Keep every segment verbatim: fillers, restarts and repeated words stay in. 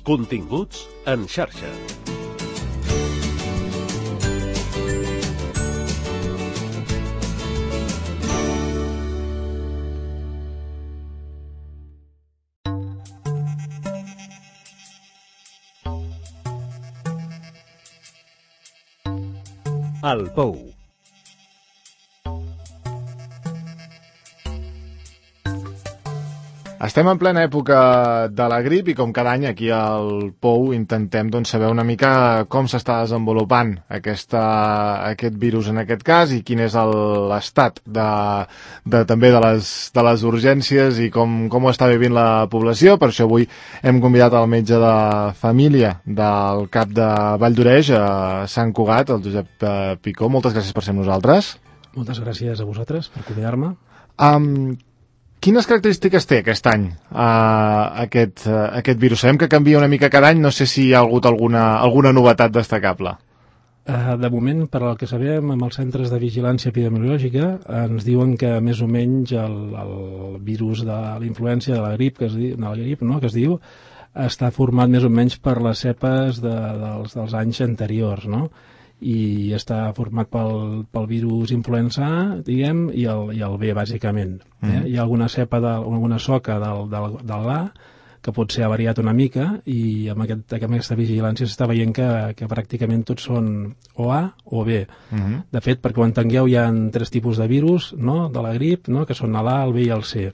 Continguts en xarxa. El Pou. Estem en plena època de la grip i com cada any aquí al Pou intentem doncs, saber una mica com s'està desenvolupant aquesta, aquest virus en aquest cas i quin és l'estat de, de, també de les, de les urgències i com, com ho està vivint la població. Per això avui hem convidat el metge de família del CAP de Vall d'Oreix, a Sant Cugat, el Josep Picó. Moltes gràcies per ser amb nosaltres. Moltes gràcies a vosaltres per convidar-me. Um, Quines característiques té aquest any uh, aquest, uh, aquest virus? Sabem que canvia una mica cada any, no sé si hi ha hagut alguna, alguna novetat destacable. Uh, de moment, per al que sabem, amb els centres de vigilància epidemiològica ens diuen que més o menys el, el virus de la influència de la grip, que es diu, de la grip, no, que es diu, està format més o menys per les cepes de, dels, dels anys anteriors, no? I està format pel, pel virus influenza A, diguem, i el, i el B, bàsicament. Eh? Mm. Hi ha alguna cepa, de, alguna soca del, del, del A, que potser ha variat una mica, i amb, aquest, amb aquesta vigilància s'està veient que, que pràcticament tots són o A o B. Mm-hmm. De fet, perquè ho entengueu, hi ha tres tipus de virus, no?, de la grip, no?, que són l'A, el B i el C.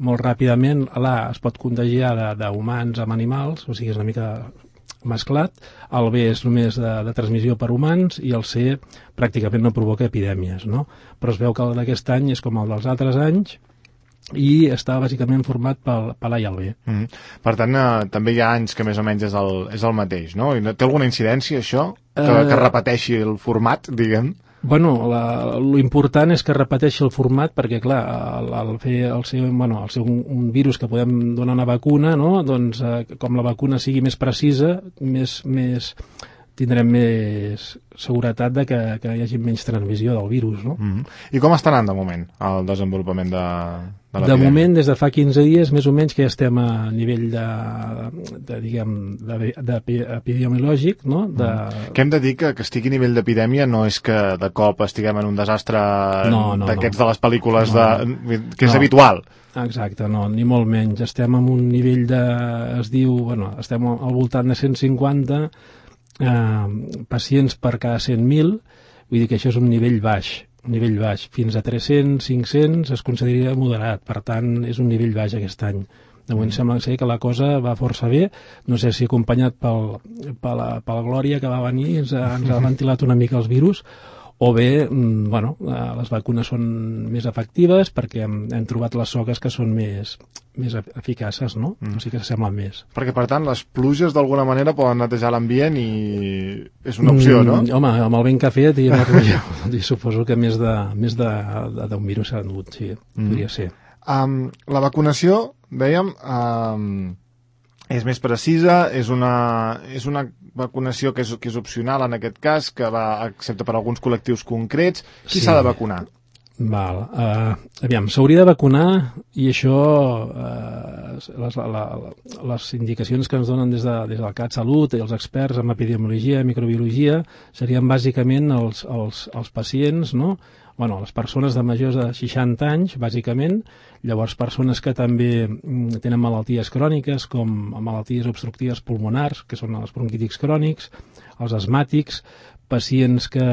Molt ràpidament, l'A es pot contagiar d'humans amb animals, o sigui, és una mica mesclat, el B és només de, de transmissió per humans i el C pràcticament no provoca epidèmies, no? Però es veu que el d'aquest any és com el dels altres anys i està bàsicament format pel, per l'A i el B. Mm. Per tant, eh, també hi ha anys que més o menys és el, és el mateix, no? I té alguna incidència, això? Que, uh... que repeteixi el format, diguem? Bueno, l'important és que repeteixi el format perquè, clar, el, el fer el ser, bueno, el ser un, un virus que podem donar una vacuna, no? Doncs eh, com la vacuna sigui més precisa, més, més tindrem més seguretat de que, que hi hagi menys transmissió del virus, no? Mm-hmm. I com està anant de moment el desenvolupament de, de l'epidèmia? De moment, des de fa quinze dies, més o menys, que ja estem a nivell de, de diguem, de, de, de epidemiològic, no? De... Mm. Que hem de dir que, que estigui a nivell d'epidèmia no és que de cop estiguem en un desastre no, no, d'aquests no. de les pel·lícules no. de, que és no. habitual. Exacte, no, ni molt menys. Estem en un nivell de... es diu, bueno, estem al voltant de cent cinquanta eh, pacients per cada cent mil, vull dir que això és un nivell baix, un nivell baix. Fins a tres-cents, cinc-cents es consideraria moderat, per tant és un nivell baix aquest any. De moment mm. sembla ser que la cosa va força bé, no sé si acompanyat pel, per, la, per la Glòria que va venir, ens ha, ens ha ventilat una mica els virus, o bé, bueno, les vacunes són més efectives perquè hem, hem trobat les soques que són més, més eficaces, no? Mm. O sigui que s'assemblen més. Perquè, per tant, les pluges d'alguna manera poden netejar l'ambient i és una opció, no? Mm, home, amb el vent que ha fet i amb la pluja, suposo que més de més de, de, d'un virus s'ha dut, sí, mm. podria ser. Um, la vacunació, dèiem, um, és més precisa, és una, és una vacunació que és, que és opcional en aquest cas, que va, excepte per alguns col·lectius concrets. Qui s'ha sí. de vacunar? Val. Uh, aviam, s'hauria de vacunar i això, uh, les, la, la, les indicacions que ens donen des, de, des del CatSalut i els experts en epidemiologia i microbiologia serien bàsicament els, els, els pacients, no?, bueno, les persones de majors de seixanta anys, bàsicament, llavors persones que també tenen malalties cròniques, com malalties obstructives pulmonars, que són els bronquítics crònics, els asmàtics, pacients que,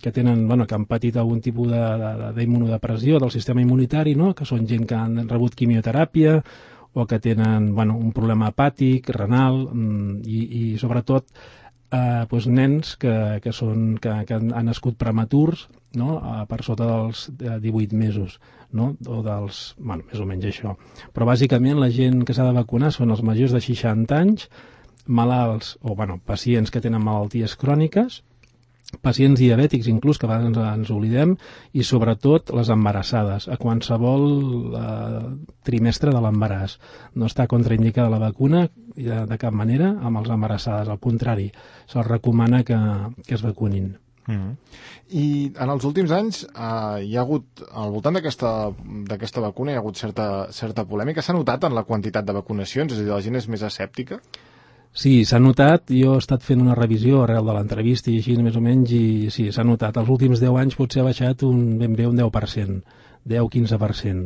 que tenen, bueno, que han patit algun tipus d'immunodepressió del sistema immunitari, no?, que són gent que han rebut quimioteràpia o que tenen, bueno, un problema hepàtic, renal i, i sobretot Eh, doncs nens que, que, són, que, que han, han nascut prematurs, no?, eh, per sota dels divuit mesos, no?, o dels, bueno, més o menys això. Però bàsicament la gent que s'ha de vacunar són els majors de seixanta anys, malalts o bueno, pacients que tenen malalties cròniques, pacients diabètics inclús, que a vegades ens, ens oblidem, i sobretot les embarassades, a qualsevol eh, trimestre de l'embaràs. No està contraindicada la vacuna de, de cap manera amb els embarassades, al contrari, se'ls recomana que, que es vacunin. Mm-hmm. I en els últims anys eh, hi ha hagut, al voltant d'aquesta d'aquesta vacuna hi ha hagut certa, certa polèmica. S'ha notat en la quantitat de vacunacions? És a dir, la gent és més escèptica? Sí, s'ha notat, jo he estat fent una revisió arrel de l'entrevista i així més o menys, i sí, s'ha notat. Els últims deu anys potser ha baixat un, ben bé un deu per cent, deu a quinze per cent,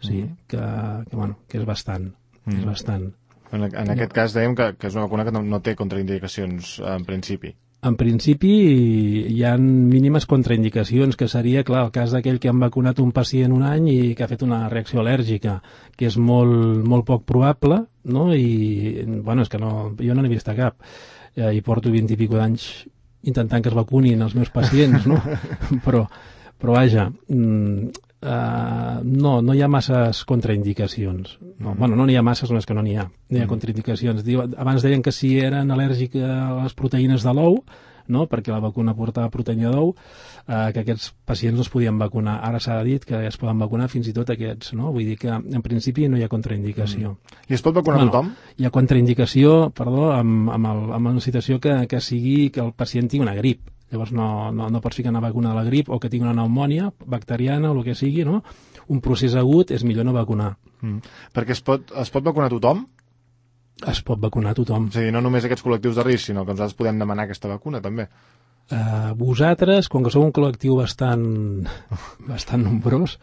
sí, mm. que, que, bueno, que és bastant, mm. és bastant. En, en aquest cas dèiem que, que és una vacuna que no, no té contraindicacions en principi. En principi hi ha mínimes contraindicacions, que seria, clar, el cas d'aquell que han vacunat un pacient un any i que ha fet una reacció al·lèrgica, que és molt, molt poc probable, no? I, bueno, és que no, jo no n'he vist cap. Eh, I porto vint i pico d'anys intentant que es vacunin els meus pacients, no? però, però vaja, mm, Uh, no, no hi ha masses contraindicacions. No, bueno, no n'hi ha masses, no és que no n'hi ha. No hi ha contraindicacions. Diu, abans deien que si eren al·lèrgics a les proteïnes de l'ou, no? Perquè la vacuna portava proteïna d'ou, uh, que aquests pacients no es podien vacunar. Ara s'ha dit que es poden vacunar fins i tot aquests, no? Vull dir que en principi no hi ha contraindicació. Mm. I es pot vacunar bueno, tothom? Hi ha contraindicació, perdó, amb, amb, el, amb una situació que, que sigui que el pacient tingui una grip. Llavors no, no, no pots ficar una vacuna de la grip o que tingui una pneumònia bacteriana o el que sigui, no? Un procés agut és millor no vacunar. Mm. Perquè es pot, es pot vacunar tothom? Es pot vacunar tothom. O sigui, no només aquests col·lectius de risc, sinó que nosaltres podem demanar aquesta vacuna, també. Uh, vosaltres, com que sou un col·lectiu bastant bastant nombrós,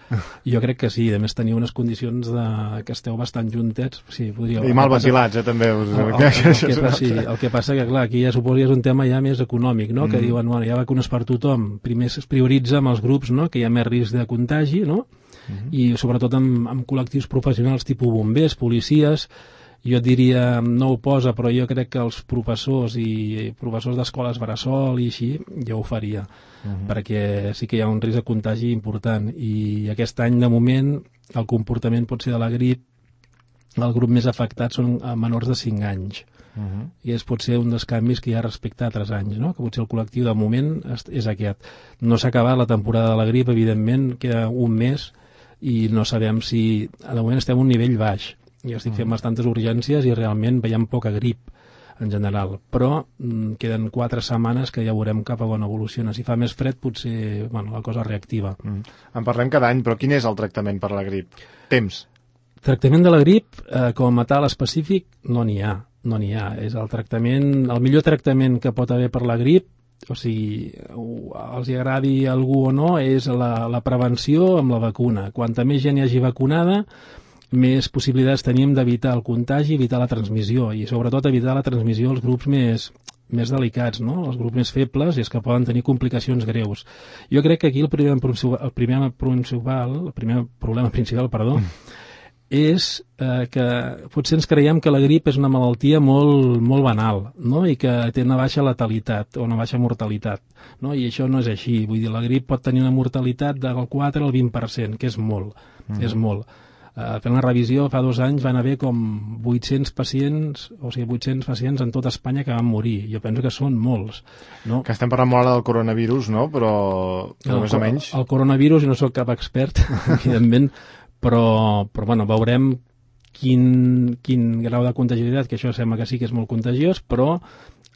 jo crec que sí, a més teniu unes condicions de, que esteu bastant juntets, sí, podríeu... I mal ventilats, eh, també. El, el, el, el, que passa, sí, el que passa que, clar, aquí ja suposo que és un tema ja més econòmic, no? Mm. Que diuen, bueno, hi ha vacunes per tothom, primer es prioritza amb els grups, no? Que hi ha més risc de contagi, no? Mm. I sobretot amb, amb col·lectius professionals tipus bombers, policies. Jo et diria, no ho posa, però jo crec que els professors i professors d'escoles bressol i així, jo ho faria, uh-huh. perquè sí que hi ha un risc de contagi important. I aquest any, de moment, el comportament pot ser de la grip, el grup més afectat són menors de cinc anys. Uh-huh. I és potser un dels canvis que hi ha respecte a altres anys, no? Que potser el col·lectiu, de moment, és aquest. No s'ha acabat la temporada de la grip, evidentment, queda un mes, i no sabem si... De moment estem a un nivell baix. Jo estic fent bastantes urgències i realment veiem poca grip en general, però mm, queden quatre setmanes que ja veurem cap a on evoluciona. Si fa més fred potser bueno, la cosa reactiva. Mm. En parlem cada any, però quin és el tractament per la grip? Temps? Tractament de la grip, eh, com a tal específic, no n'hi ha. No n'hi ha. És el tractament, el millor tractament que pot haver per la grip, o sigui, els hi agradi a algú o no, és la, la prevenció amb la vacuna. Quanta més gent hi hagi vacunada, més possibilitats tenim d'evitar el contagi, evitar la transmissió i sobretot evitar la transmissió als grups més, més delicats, no? Els grups més febles i els que poden tenir complicacions greus. Jo crec que aquí el primer, el primer, principal, el primer problema principal perdó, mm. és eh, que potser ens creiem que la grip és una malaltia molt, molt banal, no? I que té una baixa letalitat o una baixa mortalitat, no? I això no és així. Vull dir, la grip pot tenir una mortalitat del quatre al vint per cent, que és molt, mm. és molt. Uh, fent la revisió, fa dos anys van haver com vuit-cents pacients, o sigui, vuit-cents pacients en tota Espanya que van morir. Jo penso que són molts, no? Que estem parlant molt ara del coronavirus, no? Però, però el, més o menys... El coronavirus, jo no sóc cap expert, evidentment, però, però bueno, veurem quin, quin grau de contagiositat, que això sembla que sí que és molt contagiós, però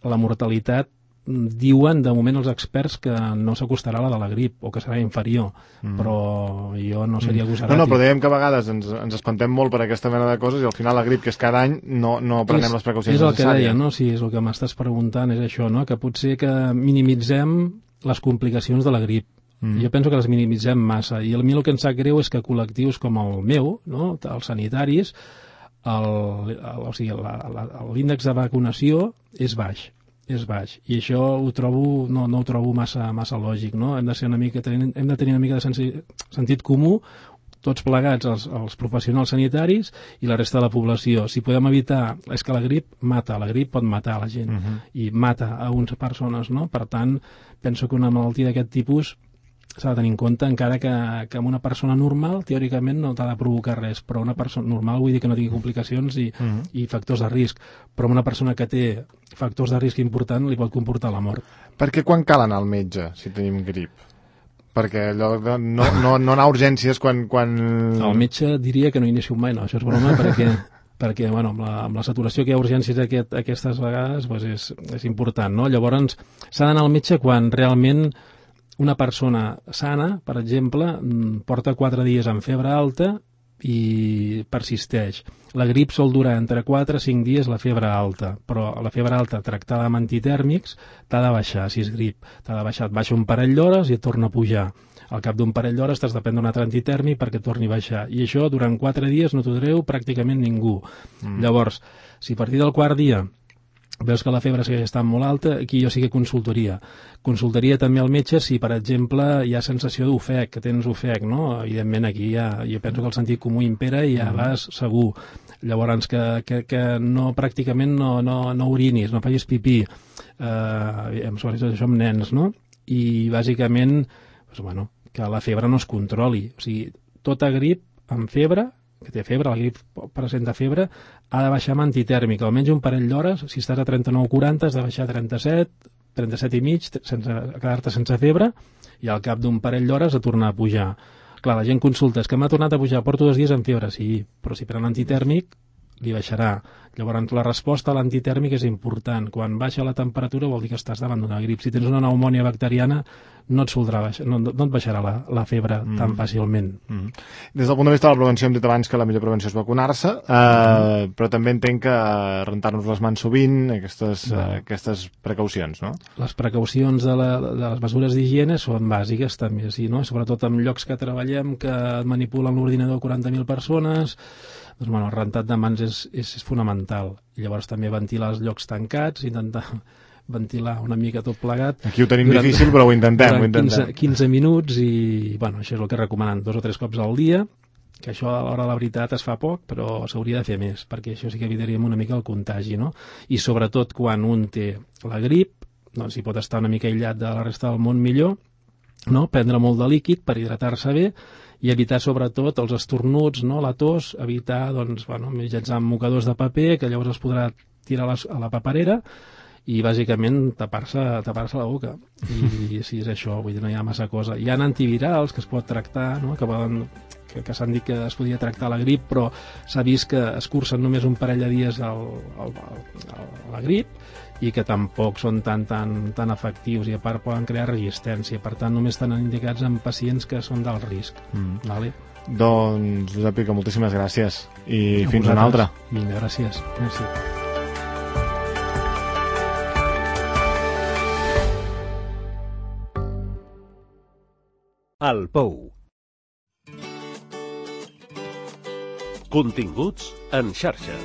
la mortalitat diuen de moment els experts que no s'acostarà a la de la grip o que serà inferior, mm. però jo no seria agosaràtic. No, no, però dèiem que a vegades ens, ens espantem molt per aquesta mena de coses i al final la grip, que és cada any, no, no prenem és, les precaucions necessàries. És el necessàries. que deia, no? Sí, és el que m'estàs preguntant, és això, no? Que potser que minimitzem les complicacions de la grip. Mm. Jo penso que les minimitzem massa i a mi el que em sap greu és que col·lectius com el meu, no? Els sanitaris, el, el, o sigui, l'índex de vacunació és baix. és baix, i això ho trobo, no, no ho trobo massa, massa lògic, no? Hem de ser una mica, hem de tenir una mica de sensi, sentit comú, tots plegats, els, els professionals sanitaris i la resta de la població. Si podem evitar, és que la grip mata, la grip pot matar la gent, uh-huh. i mata a unes persones, no? Per tant, penso que una malaltia d'aquest tipus s'ha de tenir en compte, encara que, que amb una persona normal, teòricament, no t'ha de provocar res, però una persona normal vull dir que no tingui complicacions i, uh-huh. i factors de risc, però una persona que té factors de risc important li pot comportar la mort. Perquè quan cal anar al metge, si tenim grip? Perquè allò de no, no, no anar a urgències quan... quan... El metge diria que no inicio mai, no, això és broma, perquè... perquè bueno, amb, la, amb la saturació que hi ha urgències aquest, aquestes vegades doncs és, és important, no? Llavors s'ha d'anar al metge quan realment una persona sana, per exemple, porta quatre dies amb febre alta i persisteix. La grip sol durar entre quatre a cinc dies la febre alta, però la febre alta tractada amb antitèrmics t'ha de baixar, si és grip. T'ha de baixar, et baixa un parell d'hores i et torna a pujar. Al cap d'un parell d'hores t'has de prendre un altre antitèrmic perquè torni a baixar. I això durant quatre dies no t'ho treu pràcticament ningú. Mm. Llavors, si a partir del quart dia veus que la febre segueix estant molt alta, aquí jo sí que consultaria. Consultaria també al metge si, per exemple, hi ha sensació d'ofec, que tens ofec, no? Evidentment, aquí ja, jo penso que el sentit comú impera i ja mm. vas segur. Llavors, que, que, que no, pràcticament no, no, no orinis, no facis pipí, eh, sobretot això amb nens, no? I, bàsicament, doncs, bueno, que la febre no es controli. O sigui, tota grip amb febre, que té febre, la grip presenta febre, ha de baixar amb antitèrmic, almenys un parell d'hores. Si estàs a trenta-nou quaranta has de baixar a trenta-set, trenta-set i mig, sense quedar-te sense febre, i al cap d'un parell d'hores a tornar a pujar. Clar, la gent consulta, és que m'ha tornat a pujar, porto dos dies amb febre, sí, però si pren antitèrmic li baixarà. Llavors, la resposta a l'antitèrmic és important. Quan baixa la temperatura vol dir que estàs davant d'una grip. Si tens una pneumònia bacteriana, no et soldrà baixar, no, no et baixarà la, la febre mm. tan fàcilment. Mm. Des del punt de vista de la prevenció, hem dit abans que la millor prevenció és vacunar-se, eh, mm. però també entenc que rentar-nos les mans sovint, aquestes, no. eh, aquestes precaucions, no? Les precaucions de, la, de les mesures d'higiene són bàsiques, també, sí, no? Sobretot en llocs que treballem, que manipulen l'ordinador quaranta mil persones. Doncs, bueno, el rentat de mans és, és, és fonamental. I llavors també ventilar els llocs tancats, intentar ventilar una mica tot plegat. Aquí ho tenim durant, difícil, però ho intentem. Ho intentem. quinze, quinze minuts i, bueno, això és el que recomanen, dos o tres cops al dia, que això a l'hora de la veritat es fa poc, però s'hauria de fer més, perquè això sí que evitaríem una mica el contagi, no? I sobretot quan un té la grip, doncs si pot estar una mica aïllat de la resta del món millor, no? Prendre molt de líquid per hidratar-se bé, i evitar sobretot els estornuts, no? La tos, evitar, doncs, bueno, mitjançant mocadors de paper, que llavors es podrà tirar a la, a la paperera, i bàsicament tapar-se tapar-se la boca. I si és això, vull dir, no hi ha massa cosa. Hi ha antivirals que es pot tractar, no? que, poden, que, que s'han dit que es podia tractar la grip, però s'ha vist que es cursen només un parell de dies el, el, el, la grip, i que tampoc són tan, tan, tan efectius, i a part poden crear resistència. Per tant, només estan indicats en pacients que són d'alt risc. Mm. Vale? Doncs, Josep Pica, moltíssimes gràcies. I a fins vosaltres. Una altra. Vinga, gràcies. Merci. El Pou. Continguts en xarxa.